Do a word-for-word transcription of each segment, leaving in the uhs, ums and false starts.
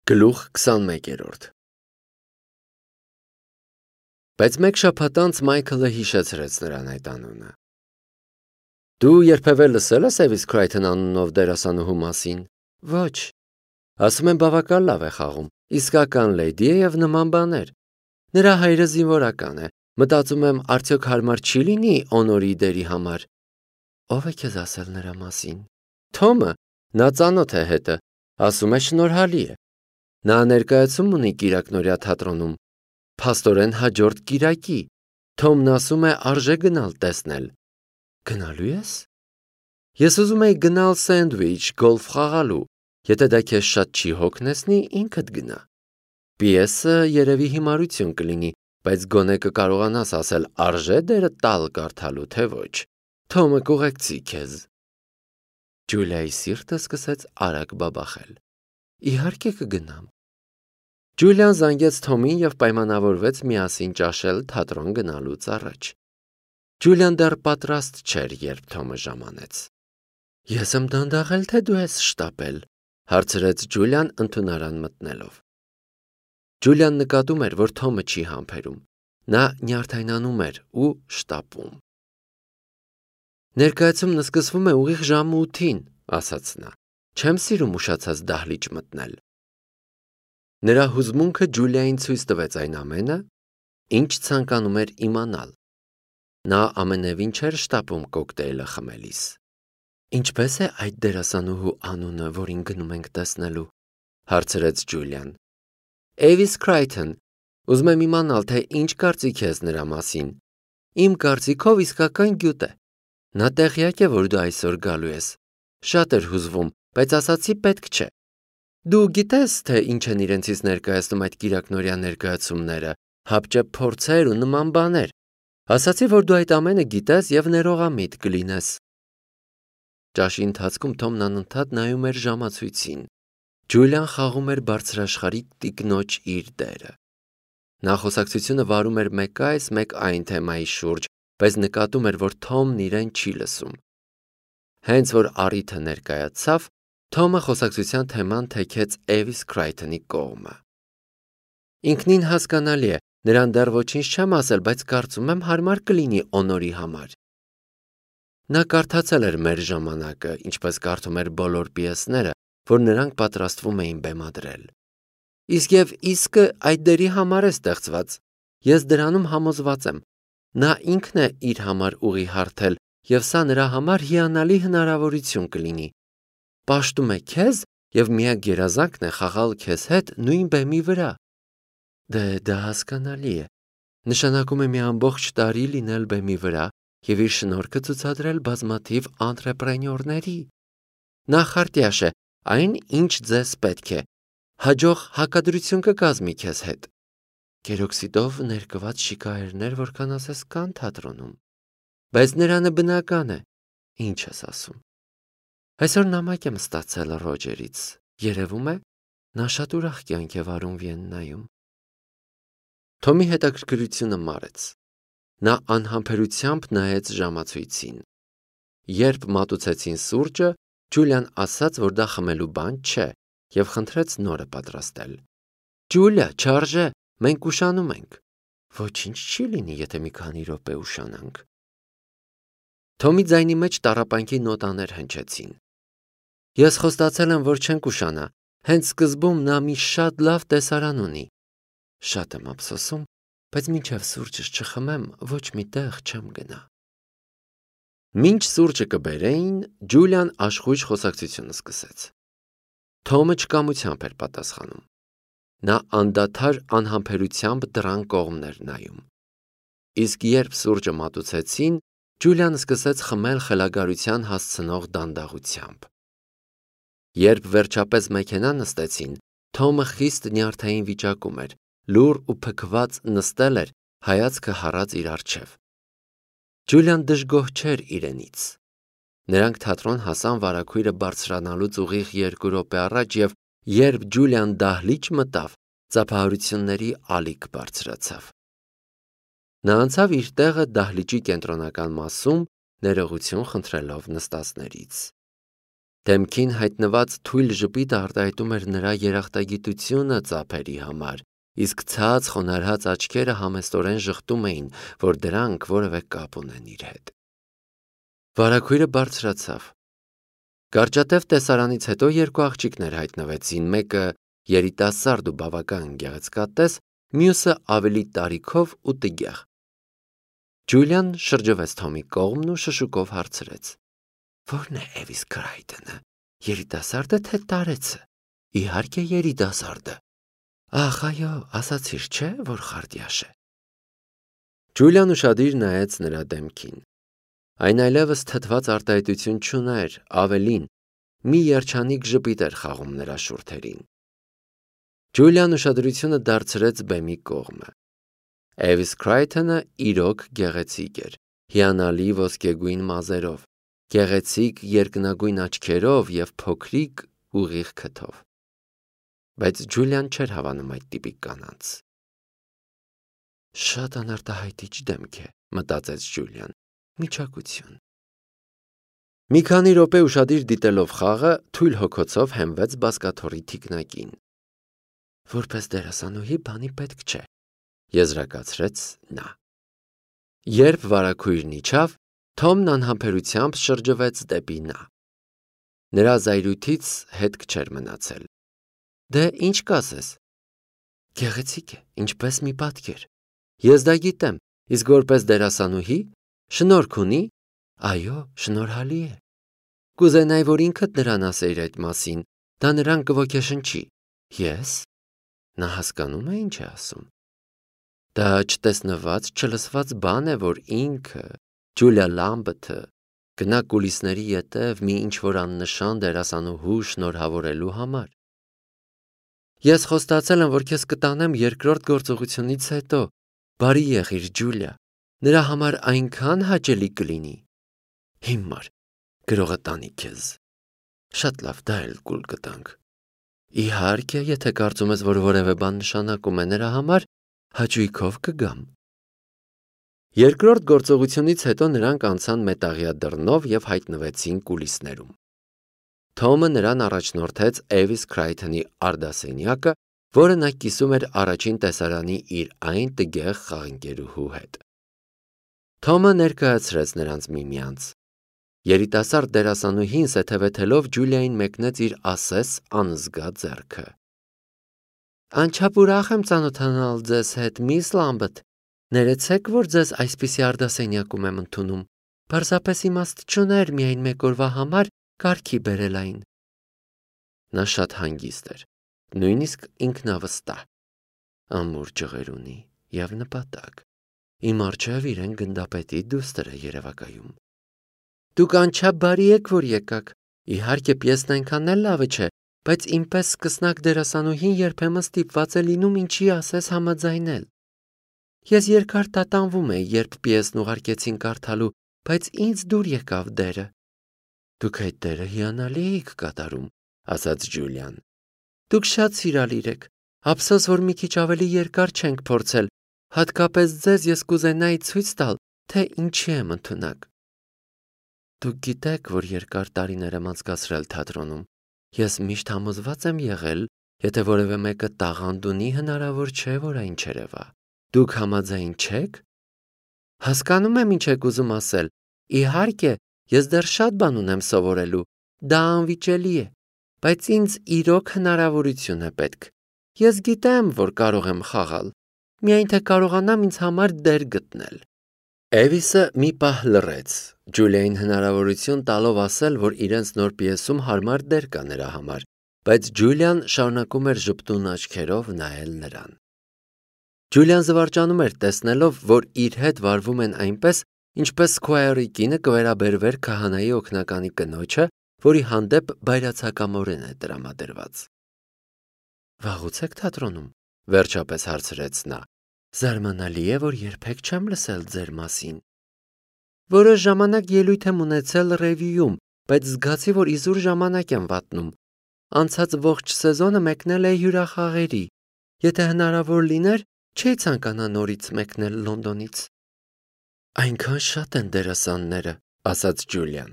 Գլուխ քսանմեկերորդ Բայց մեկ շաբաթ անց Մայքլը հիշեցրեց նրան այդ անունը։ Դու երբևէ լսել ես Էվիս Քրայթոն անունով դերասանուհու մասին։ Ոչ։ Ասում են բավական լավ է խաղում, իսկական լեյդի է և նման բաներ։ Նրա հայրը զինվորական է, մտածում եմ արդյոք հարմար չի լինի Օնորի դերի համար։ Ո՞վ է քեզ ասել նրա մասին։ Թոմը, նա ծանոթ է հետը, ասում է շնորհալի է։ Նա ներկայացում ունի Կիրակնորյա թատրոնում, փաստորեն հաջորդ կիրակի։ Թոմն ասում է արժե գնալ տեսնել։ Գնալու ես։ Ես ուզում էի գնալ սենդվիչ գոլֆ խաղալու, եթե դա քեզ շատ չի հոգնեցնի, ինքդ գնա։ Պիեսը երևի հիմարություն կլինի, բայց գոնե կկարողանաս ասել արժե դերը տալ կարդալու, թե ոչ։ Թոմը կուղեկցի քեզ։ Ջուլիայի սիրտը սկսեց արագ բաբախել։ Իհարկե կգնամ։ Ջուլիան զանգեց Թոմին և պայմանավորվեց միասին ճաշել թատրոն գնալուց առաջ։ Ջուլիան դեռ պատրաստ չէր, երբ Թոմը ժամանեց։ Ես եմ դանդաղել, թե դու ես շտապել, հարցրեց Ջուլիան ընդունարան մտնելով։ Ջուլիան նկատում էր, որ Թոմը չի համբերում։ Նա նյարդայնանում էր ու շտապում։ Ներկայացումն սկսվում է ուղիղ ժամը ութին, ասաց նա։ Չեմ սիրում ուշացած դահլիճ մտնել։ Նրա հուզմունքը Ջուլիային ցույց տվեց այն ամենը, ինչ ցանկանում էր իմանալ։ Նա ամենևին չէր շտապում կոկտեյլը խմելիս։ Ինչպե՞ս է այդ դերասանուհու անունը, որին գնում ենք տեսնելու, հարցրեց Ջուլիան։ Էվիս Քրայթոն, ուզում եմ իմանալ, թե ինչ կարծիք ես նրա մասին։ Իմ կարծիքով իսկական գյուտ է։ Նա տեղյակ է, որ դու այսօր գալու ես։ Շատ էր հուզվում, բայց ասացի պետք չէ։ Դու գիտես, թե ինչ են իրենցից ներկայացնում այդ կիրակնորյա ներկայացումները, հապճեպ փորձեր ու նման բաներ։ Ասացի, որ դու այդ ամենը գիտես և ներողամիտ կլինես։ Ճաշի ընթացքում Թոմն անընդհատ նայում էր ժամացույցին։ Ջուլիան խաղում էր բարձրաշխարհի տիկնոջ իր դերը։ Նա խոսակցությունը վարում էր մեկ այս, մեկ այն թեմայի շուրջ, բայց նկատում էր, որ Թոմն իրեն չի լսում։ Հենց որ առիթը ներկայացավ, Թոմը խոսակցության թեման թեքեց Էվիս Քրայթոնի կողմը։ Ինքնին հասկանալի է, նրան դեռ ոչինչ չեմ ասել, բայց կարծում եմ հարմար կլինի Օնորի համար։ Նա կարդացել էր Մեր ժամանակը, ինչպես կարդում էր բոլոր պիեսները, որ նրանք պատրաստվում էին բեմադրել։ Իսկ և իսկը այդ դերի համար է ստեղծված։ Ես դրանում համոզված եմ։ Նա ինքն է իր համար ուղի հարթել, և սա նրա համար հիանալի հնարավորություն կլինի։ Պաշտում է քեզ և միակ երազանքն է խաղալ քեզ հետ նույն բեմի վրա։ Դե դա հասկանալի է։ Նշանակում է մի ամբողջ տարի լինել բեմի վրա և իր շնորհքը ցուցադրել բազմաթիվ անտրեպրենյորների։ Նախարտյաշ է, այն, ինչ ձեզ պետք է։ Հաջող հակադրություն կկազմի քեզ հետ։ Գերօքսիդով ներկված շիկահերներ, որքան ասես կան թատրոնում։ Բայց նրանը բնական է։ Ինչ ես ասում։ Այսօր նամակ եմ ստացել Ռոջերից։ Երևում է, նա շատ ուրախ կյանք է վարում Վիեննայում։ Թոմի հետաքրքրությունը մարեց։ Նա անհամբերությամբ նայեց ժամացույցին։ Երբ մատուցեցին սուրճը, Ջուլիան ասաց, որ դա խմելու բան չէ, և խնդրեց նորը պատրաստել։ Ջուլիա, չարժե, մենք ուշանում ենք։ Ոչինչ չի լինի, եթե մի քանի րոպե ուշանանք։ Թոմի ձայնի մեջ տառապանքի նոտաներ հնչեցին։ Ես խոստացել եմ, որ չենք ուշանա։ Հենց սկզբում նա մի շատ լավ տեսարան ունի։ Շատ եմ ափսոսում, բայց մինչև սուրճս չխմեմ, ոչ մի տեղ չեմ գնա։ Մինչ սուրճը կբերեին, Ջուլիան աշխույժ խոսակցությունը սկսեց։ Թոմը չկամությամբ էր պատասխանում։ Նա անդադար անհամբերությամբ դռան կողմն էր նայում։ Իսկ երբ սուրճը մատուցեցին, Ջուլիան սկսեց խմել խելագարության հասցնող դանդաղությամբ։ Երբ վերջապես մեքենա նստեցին, Թոմը խիստ նյարդային վիճակում էր, լուռ ու փքված նստել էր, հայացքը հառած իր առջև։ Ջուլիան դժգոհ չէր իրենից։ Նրանք թատրոն հասան վարագույրը բարձրանալուց ուղիղ երկու րոպե առաջ և երբ Ջուլիան դահլիճ մտավ, ծափահարությունների ալիք բարձրացավ։ Նա անցավ իր տեղը դահլիճի կենտրոնական մասում, ներողություն խնդրելով նստածներից։ Դեմքին հայտնված թույլ ժպիտը արտահայտում էր նրա երախտագիտությունը ծափերի համար, իսկ ցած խոնարհած աչքերը համեստորեն ժխտում էին, որ դրանք որևէ կապ ունեն իր հետ։ Վարագույրը բարձրացավ։ Կարճատև տեսարանից հետո երկու աղջիկներ հայտնվեցին, մեկը երիտասարդ ու բավական գեղեցկատես, մյուսը ավելի տարիքով ու տգեղ։ Ջուլիան շրջվեց Թոմի կողմն ու շշուկով հարցրեց. Ո՞րն է Էվիս Քրայթոնը, երիտասարդը թե տարեցը։ Իհարկե երիտասարդը։ Ախ, այո, ասացիր, չէ, որ խարդյաշ է։ Ջուլիան ուշադիր նայեց նրա դեմքին։ Այն այլևս թթված արտահայտություն չուներ, ավելին, մի երջանիկ ժպիտ էր խաղում նրա շուրթերին։ Ջուլիան ուշադրությունը դարձրեց բեմի կողմը։ Էվիս Քրայթոնը իրոք գեղեցիկ էր, հիանալի ոսկեգույն մազերով, գեղեցիկ երկնագույն աչքերով և փոքրիկ ուղիղ քթով։ Բայց Ջուլիան չէր հավանում այդ տիպի կանանց։ Շատ անարտահայտիչ դեմք է, մտածեց Ջուլիան, միչակություն։ Մի քանի րոպե ուշադիր դիտելով խաղը, թույլ հոգոցով հենվեց բազկաթոռի թիկնակին։ Որպես դերասանուհի բանի պետք չէ, եզրակացրեց նա։ Երբ վարագույրն իջավ, Թոմն անհամբերությամբ շրջվեց դեպի նա։ Նրա զայրույթից հետք չէր մնացել։ Դե ինչ կասես։ Գեղեցիկ է, ինչպես մի պատկեր։ Ես դա գիտեմ, իսկ որպես դերասանուհի, շնորհք ունի։ Այո, շնորհալի է։ Կուզենայի, որ ինքդ նրան ասեիր այդ մասին, դա նրան կոգեշնչի։ Ես։ Նա հասկանում է ինչ է ասում։ Դա չտեսնված, չլսված բան է, որ ինքը, Ջուլիա Լամբերթը, գնա կուլիսների ետև մի ինչ-որ աննշան դերասանուհու շնորհավորելու համար։ Ես խոստացել եմ, որ քեզ կտանեմ երկրորդ գործողությունից հետո։ Բարի եղիր, Ջուլիա, նրա համար այնքան հաճելի կլինի։ Հիմար, գրողը տանի քեզ։ Շատ լավ, դա էլ կուլ կտանք։ Իհարկե, եթե կարծում ես, որ որևէ բան նշանակում է նրա համար, հաճույքով կգամ։ Երկրորդ գործողությունից հետո նրանք անցան մետաղյա դռնով և հայտնվեցին կուլիսներում։ Թոմը նրան առաջնորդեց Էվիս Քրայթոնի արդասենյակը, որը նա կիսում էր առաջին տեսարանի իր այն տգեղ խաղընկերուհու հետ։ Թոմը ներկայացրեց նրանց միմյանց։ Երիտասարդ դերասանուհին սեթևեթելով Ջուլիային մեկնեց իր ասես անզգա ձեռքը։ Անչափ ուրախ եմ ծանոթանալ ձեզ հետ, միս Լամբերտ։ Ներեցեք, որ ձեզ այսպիսի արդասենյակում եմ ընդունում։ Պարզապես իմաստ չուներ միայն մեկ օրվա համար կարգի բերել այն։ Նա շատ հանգիստ էր, նույնիսկ ինքնավստահ։ Ամուր ջղեր ունի և նպատակ։ Իմ առջև իրեն գնդապետի դուստր է երևակայում։ Դուք անչափ բարի եք, որ եկաք։ Իհարկե պիեսն այնքան էլ լավը չէ, բայց ինպես սկսնակ դերասանուհին երբեմն ստիպված է լինում ինչի ասես համաձայնել։ Ես երկար տատանվում էի, երբ պիեսն ուղարկեցին կարդալու, բայց ինձ դուր եկավ դերը։ Դուք այդ դերը հիանալի էիք կատարում, ասաց Ջուլիան։ Դուք շատ սիրալիր եք։ Ափսոս, որ մի քիչ ավելի երկար չենք փորձել, հատկապես ձեզ ես կուզենայի ցույց տալ, թե ինչի եմ ընդունակ։ Դուք գիտեք, որ երկար տարիներ եմ անցկացրել թատրոնում։ Ես միշտ համոզված եմ եղել, եթե որևէ մեկը տաղանդ ունի, հնարավոր չէ, որ այն չերևա։ Դուք համաձայն չեք։ Հասկանում եմ ինչ եք ուզում ասել։ Իհարկե, ես դեռ շատ բան ունեմ սովորելու։ Դա անվիճելի է, բայց ինձ իրոք հնարավորություն է պետք։ Ես գիտեմ, որ կարող եմ խաղալ։ Միայն թե կարողանամ ինձ համար դեր գտնել։ Էվիսը մի պահ լռեց, Ջուլիային հնարավորություն տալով ասել, որ իրենց նոր պիեսում հարմար դեր կա նրա համար, բայց Ջուլիան շարունակում էր ժպտուն աչքերով նայել նրան։ Ջուլիան զվարճանում էր տեսնելով, որ իր հետ վարվում են այնպես, ինչպես Սքոյերի կինը կվերաբերվեր քահանայի օգնականի կնոջը, որի հանդեպ բայրացակամորեն է տրամադրված։ Վաղուց եք թատրոնում, վերջապես հարցրեց նա։ Զարմանալի է, որ երբեք չեմ լսել ձեր մասին։ Որոշ ժամանակ ելույթ եմ ունեցել ռևյուում, բայց զգացի, որ իզուր ժամանակ եմ վատնում։ Անցած ողջ սեզոնը մեկնել է հյուրախաղերի։ Եթե հնարավոր լիներ, չէի ցանկանա նորից մեկնել Լոնդոնից։ Այնքան շատ են դերասանները, ասաց Ջուլիան։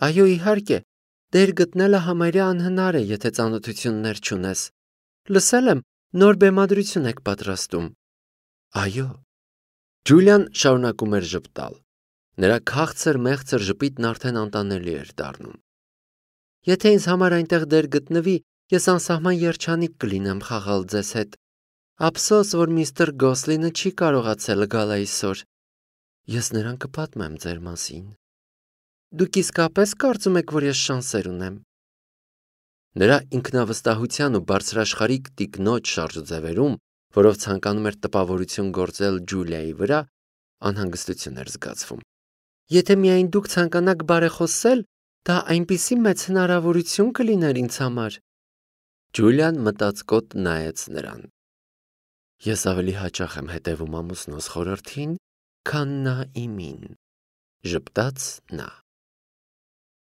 Այո, իհարկե, Դեր գտնելը համարյա անհնար է, եթե ծանոթություններ չունես։ Լսել եմ, նոր բեմադրություն եք պատրաստում։ Այո։ Ջուլիան շարունակում էր ժպտալ։ Նրա քաղցր մեղցր ժպիտն արդեն անտանելի էր դառնում։ Եթե ինձ համար այնտեղ դեր գտնվի, ես անսահման երջանիկ կլինեմ խաղալ ձեզ հետ։ Ափսոս, որ միստր Գոսլինը չի կարողացել գալ այսօր։ Ես նրան կպատմեմ ձեր մասին։ Դուք իսկապես կարծում եք, որ ես շանսեր ունեմ։ Նրա ինքնավստահության ու բարձրաշխարհիկ տիկնոջ շարժուձևերում, որով ցանկանում էր տպավորություն գործել Ջուլիայի վրա, անհանգստություն էր զգացվում։ Եթե միայն դուք ցանկանաք բարեխոսել, դա այնպիսի մեծ հնարավորություն կլիներ ինձ համար։ Ջուլիան մտածկոտ նայեց նրան։ Ես ավելի հաճախ եմ հետևում ամուսնուս խորհրդին, քան նա իմին, ժպտաց նա։